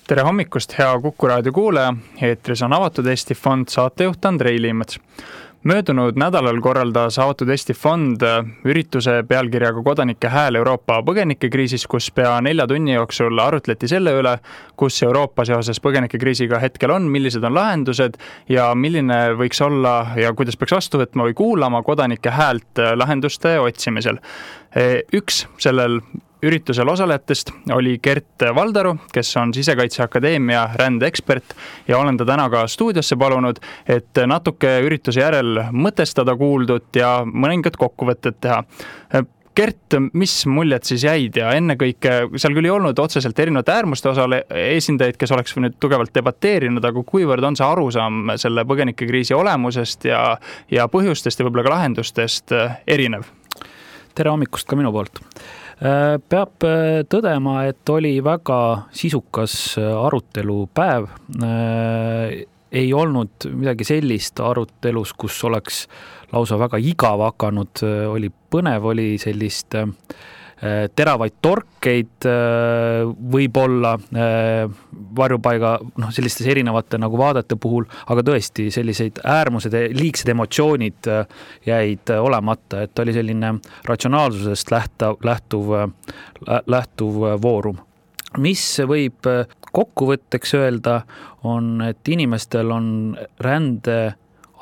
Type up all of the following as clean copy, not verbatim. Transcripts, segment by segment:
Tere hommikust, hea Kuku raadio kuulaja. Eetris on Avatud Eesti Fond, saatejuht Andrei Liimets. Möödunud nädalal korraldas Avatud Eesti Fond ürituse pealkirjaga Kodanike hääl Euroopa põgenikekriisis, kus pea 4 tunni jooksul arutleti selle üle, kus Euroopa seoses põgenikekriisiga hetkel on, millised on lahendused ja milline võiks olla ja kuidas peaks vastu võtma või kuulama kodanike häält lahenduste otsimisel. Üks sellel üritusel osalejatest oli Gert Valdaru, kes on Sisekaitseakadeemia rändeekspert ja olen ta täna ka stuudiosse palunud, et natuke ürituse järel mõtestada kuuldut ja mõningad kokkuvõtted teha. Gert, mis muljed siis jäid ja ennekõike seal küll ei olnud otseselt erinevate äärmuste osale esindajaid, kes oleks nüüd tugevalt debateerinud, aga kuivõrd on see arusaam selle põgenikekriisi olemusest ja põhjustest ja võib-olla ka lahendustest erinev? Tere hommikust ka minu poolt. Peab tõdema, et oli väga sisukas arutelupäev. Ei olnud midagi sellist arutelus, kus oleks lausa väga igav hakanud. Oli põnev, oli sellist teravaid torkeid võib-olla varjupaiga sellistes erinevate nagu vaadete puhul, aga tõesti selliseid äärmused ja liigsed emotsioonid jäid olemata, et oli selline ratsionaalsusest lähtuv voorum. Mis võib kokkuvõtteks öelda on, et inimestel on rände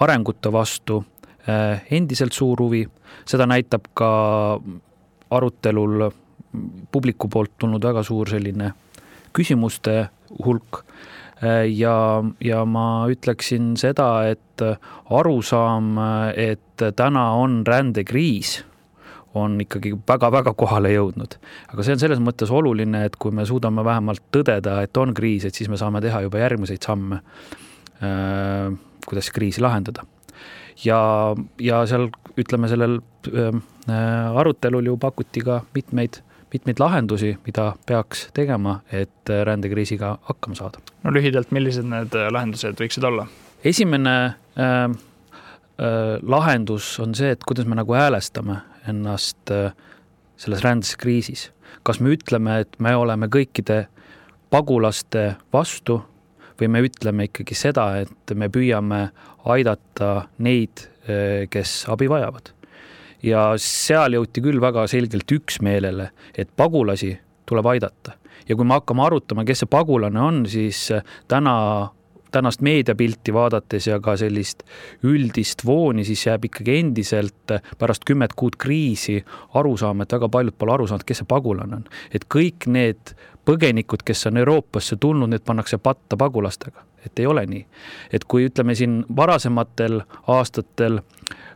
arengute vastu endiselt suur huvi. Seda näitab ka arutelul publiku poolt tulnud väga suur selline küsimuste hulk ja ma ütleksin seda, et arusaam, et täna on rändekriis, on ikkagi väga-väga kohale jõudnud. Aga see on selles mõttes oluline, et kui me suudame vähemalt tõdeda, et on kriis, et siis me saame teha juba järgmiseid samme, kuidas kriisi lahendada. Ja seal, ütleme, sellel arutelul ju pakuti ka mitmeid lahendusi, mida peaks tegema, et rändekriisiga hakkama saada. No lühidalt, millised need lahendused võiksid olla? Esimene lahendus on see, et kuidas me nagu häälestame ennast selles rändeskriisis. Kas me ütleme, et me oleme kõikide pagulaste vastu või me ütleme ikkagi seda, et me püüame aidata neid, kes abi vajavad. Ja seal jõuti küll väga selgelt üksmeelele, et pagulasi tuleb aidata. Ja kui me hakkame arutama, kes see pagulane on, siis tänast meediapilti vaadates ja ka sellist üldist vooni, siis jääb ikkagi endiselt pärast 10 kuud kriisi arusaam, et väga paljud pole aru saanud, kes see pagulane on. Et kõik need põgenikud, kes on Euroopasse tulnud, need pannakse patta pagulastega. Et ei ole nii. Et kui ütleme siin varasematel aastatel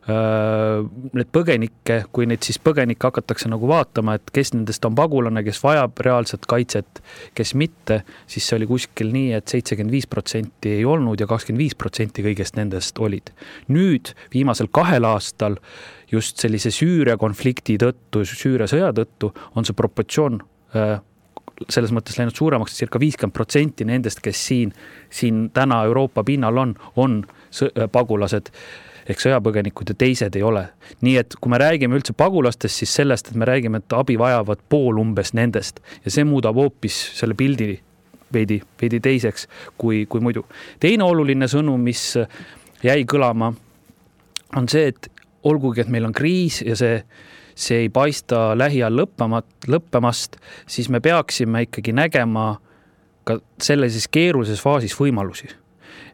need põgenikke, kui neid siis põgenikke hakatakse nagu vaatama, et kes nendest on pagulane, kes vajab reaalset kaitset, kes mitte, siis see oli kuskil nii, et 75% ei olnud ja 25% kõigest nendest olid. Nüüd viimasel 2 aastal just sellise Süüria konflikti tõttu, Süüria sõja tõttu on see proportsioon selles mõttes läinud suuremaks, circa 50% nendest, kes siin täna Euroopa pinnal on pagulased ehk sõjapõgenikud ja teised ei ole. Nii et kui me räägime üldse pagulastest, siis sellest, et me räägime, et abi vajavad pool umbes nendest ja see muudab hoopis selle pildi veidi teiseks kui muidu. Teine oluline sõnum, mis jäi kõlama, on see, et olgugi, et meil on kriis ja see ei paista lähiajal lõppemast, siis me peaksime ikkagi nägema ka sellises keerulises faasis võimalusi.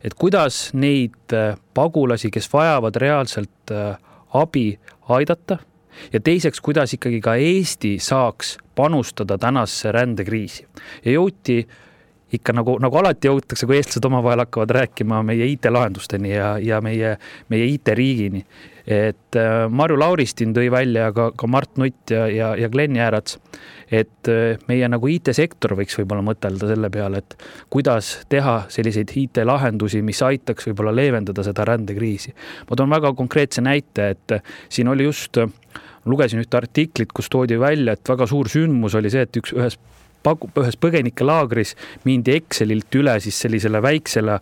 Et kuidas neid pagulasi, kes vajavad reaalselt abi aidata ja teiseks, kuidas ikkagi ka Eesti saaks panustada tänasse rändekriisi. Ja jõuti ikka nagu alati jõutakse, kui eestlased omavahel hakkavad rääkima meie IT-lahendusteni ja meie IT-riigini. Et Marju Lauristin tõi välja ka Mart Nutt ja Glen Jäärats, et meie nagu IT-sektor võiks võib-olla mõtelda selle peale, et kuidas teha selliseid IT-lahendusi, mis aitaks võib-olla leevendada seda rändekriisi. Ma toon väga konkreetse näite, et siin oli just, lugesin ühte artiklit, kus toodi välja, et väga suur sündmus oli see, et ühes ühes põgenikelaagris mindi Excelilt üle siis sellisele väiksele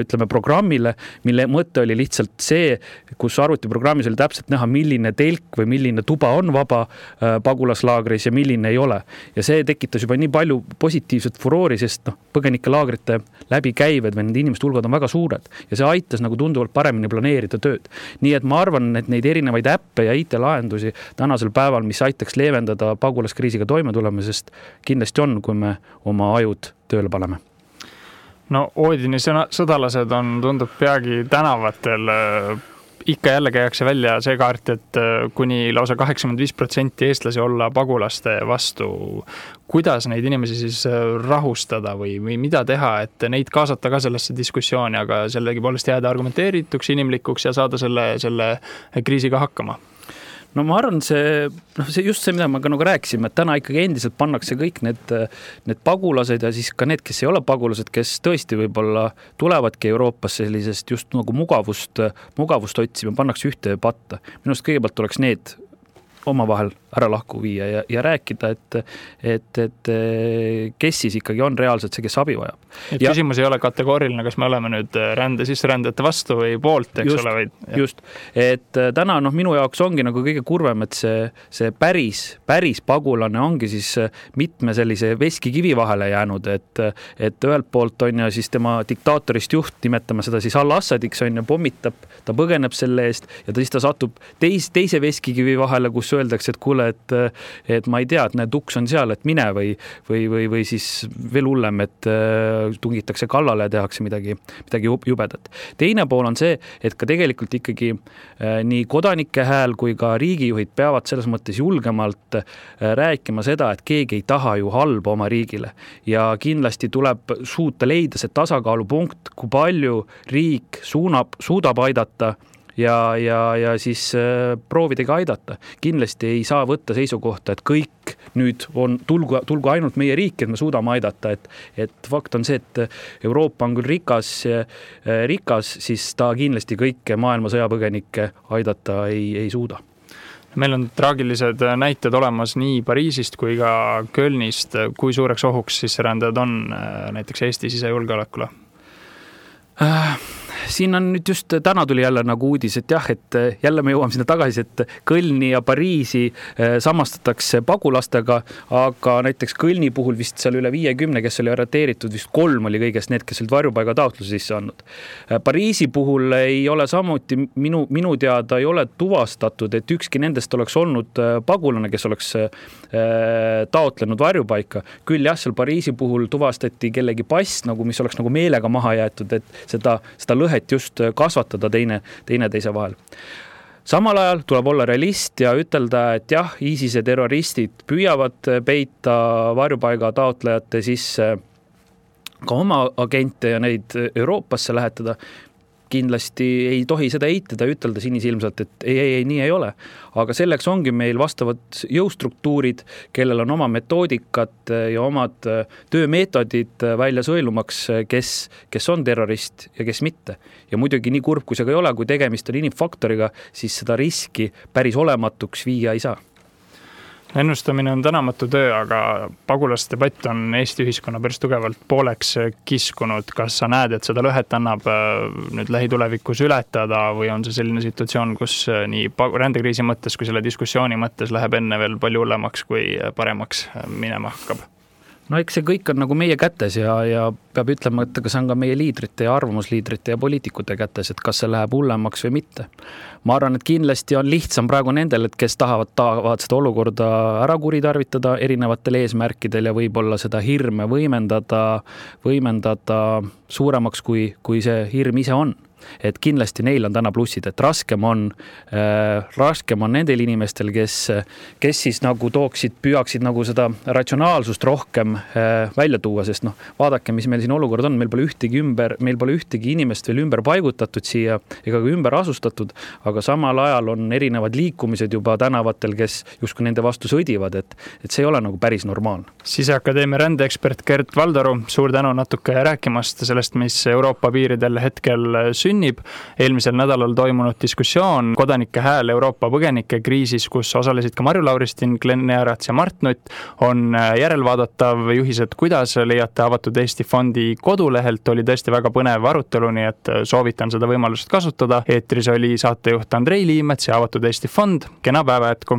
ütleme programmile, mille mõte oli lihtsalt see, kus arvutiprogrammis oli täpselt näha, milline telk või milline tuba on vaba pagulaslaagris ja milline ei ole. Ja see tekitas juba nii palju positiivset furoori, sest põgenikelaagrite läbikäived või nende inimeste hulgad on väga suured ja see aitas nagu tunduvalt paremini planeerida tööd. Nii et ma arvan, et neid erinevaid äppe ja IT-lahendusi tänasel päeval, mis aitaks leevendada pagulaskriisiga toime tulema, sest kindlasti on, kui me oma ajud tööle paneme. No Oodini sõdalased tundub peagi tänavatel. Ikka jälle käiakse välja see kaart, et kuni lausa 85% eestlasi olla pagulaste vastu. Kuidas neid inimesi siis rahustada või mida teha, et neid kaasata ka sellesse diskussiooni, aga sellegi poolest jääda argumenteerituks, inimlikuks ja saada selle kriisiga hakkama? No ma arvan, see just see, mida ma ka nagu rääkisime, et täna ikkagi endiselt pannakse kõik need pagulased ja siis ka need, kes ei ole pagulased, kes tõesti võib-olla tulevadki Euroopasse sellisest just nagu mugavust otsima, pannakse ühte patta. Minust kõigepealt tuleks need omavahel ära lahku viia ja rääkida, et kes siis ikkagi on reaalselt see, kes abi vajab. Et küsimus ei ole kategooriline, kas me oleme nüüd sisserändajate vastu või poolt, eks just, ole? Või, just, et täna minu jaoks ongi nagu kõige kurvem, et see päris pagulane ongi siis mitme sellise veskikivi vahele jäänud, et ühelt poolt on ja siis tema diktaatorist juht, nimetame seda siis Al-Assadiks, on ja pommitab, ta põgeneb selle eest ja siis ta satub teise veskikivi vahele, kus öeldakse, et kuule, et ma ei tea, et need uks on seal, et mine või siis veel hullem, et tungitakse kallale ja tehakse midagi jubedat. Teine pool on see, et ka tegelikult ikkagi nii kodanike hääl kui ka riigijuhid peavad selles mõttes julgemalt rääkima seda, et keegi ei taha ju halba oma riigile ja kindlasti tuleb suuta leida see tasakaalupunkt, kui palju riik suudab aidata ja siis proovidega aidata. Kindlasti ei saa võtta seisukohta, et kõik nüüd tulgu ainult meie riik, et me suudame aidata, et fakt on see, et Euroopa on küll rikas, siis ta kindlasti kõike maailma sõjapõgenikke aidata ei suuda. Meil on traagilised näited olemas nii Pariisist kui ka Kölnist. Kui suureks ohuks sisserändajad on näiteks Eesti sisejulgeolekule? Siin on nüüd just täna tuli jälle nagu uudis, et jah, et jälle me jõuame sinna tagasi, et Kölni ja Pariisi samastatakse pagulastega, aga näiteks Kölni puhul vist seal üle 50, kes oli arreteeritud, vist 3 oli kõigest need, kes olid varjupaiga taotluse sisse andnud. Pariisi puhul ei ole samuti, minu teada ei ole tuvastatud, et ükski nendest oleks olnud pagulane, kes oleks taotlenud varjupaika. Küll jah, seal Pariisi puhul tuvastati kellegi pass, mis oleks nagu meelega maha jäetud, et seda lõhet just kasvatada teise vahel. Samal ajal tuleb olla realist ja ütelda, et jah, ISISe terroristid püüavad peita varjupaiga taotlejate sisse ka oma agente ja neid Euroopasse lähetada. Kindlasti ei tohi seda eitada ja ütelda sinisilmselt, et ei, nii ei ole. Aga selleks ongi meil vastavad jõustruktuurid, kellel on oma metoodikat ja omad töömeetodid välja sõelumaks, kes on terrorist ja kes mitte. Ja muidugi nii kurb, kui see ka ei ole, kui tegemist on inimfaktoriga, siis seda riski päris olematuks viia ei saa. Ennustamine on tänamatu töö, aga pagulasdebatt on Eesti ühiskonna päris tugevalt pooleks kiskunud. Kas sa näed, et seda lõhet annab nüüd lähitulevikus ületada või on see selline situatsioon, kus nii rändekriisi mõttes kui selle diskussiooni mõttes läheb enne veel palju hullemaks kui paremaks minema hakkab? No eks see kõik on nagu meie kätes ja peab ütlema, et kas on ka meie liidrite ja arvamusliidrite ja poliitikute kätes, et kas see läheb hullemaks või mitte. Ma arvan, et kindlasti on lihtsam praegu nendel, et kes tahavad seda olukorda ära kuritarvitada erinevatel eesmärkidel ja võib-olla seda hirme võimendada suuremaks, kui see hirm ise on. Et kindlasti neil on täna plussid, et raskem on nendel inimestel, kes siis nagu püüaksid nagu seda ratsionaalsust rohkem välja tuua, sest vaadake, mis meil siin olukord on, meil pole ühtegi inimest veel ümber paigutatud siia ega ka ümber asustatud, aga samal ajal on erinevad liikumised juba tänavatel, kes justkui nende vastu sõdivad, et see ei ole nagu päris normaalne. Siseakadeemia rändeekspert Gert Valdaru, suur tänu natuke rääkimast sellest, mis Euroopa piiridel hetkel sünnib. sünnib. Eelmisel nädalal toimunud diskussioon Kodanike hääl Euroopa põgenikekriisis, kus osalesid ka Marju Lauristin, Glen Earats ja Mart Nutt, on järelvaadatav. Juhised, kuidas leiate Avatud Eesti Fondi kodulehelt, oli tõesti väga põnev arutelu, nii et soovitan seda võimalust kasutada. Eetris oli saatejuht Andrei Liimets ja Avatud Eesti Fond. Kena päeva jätku!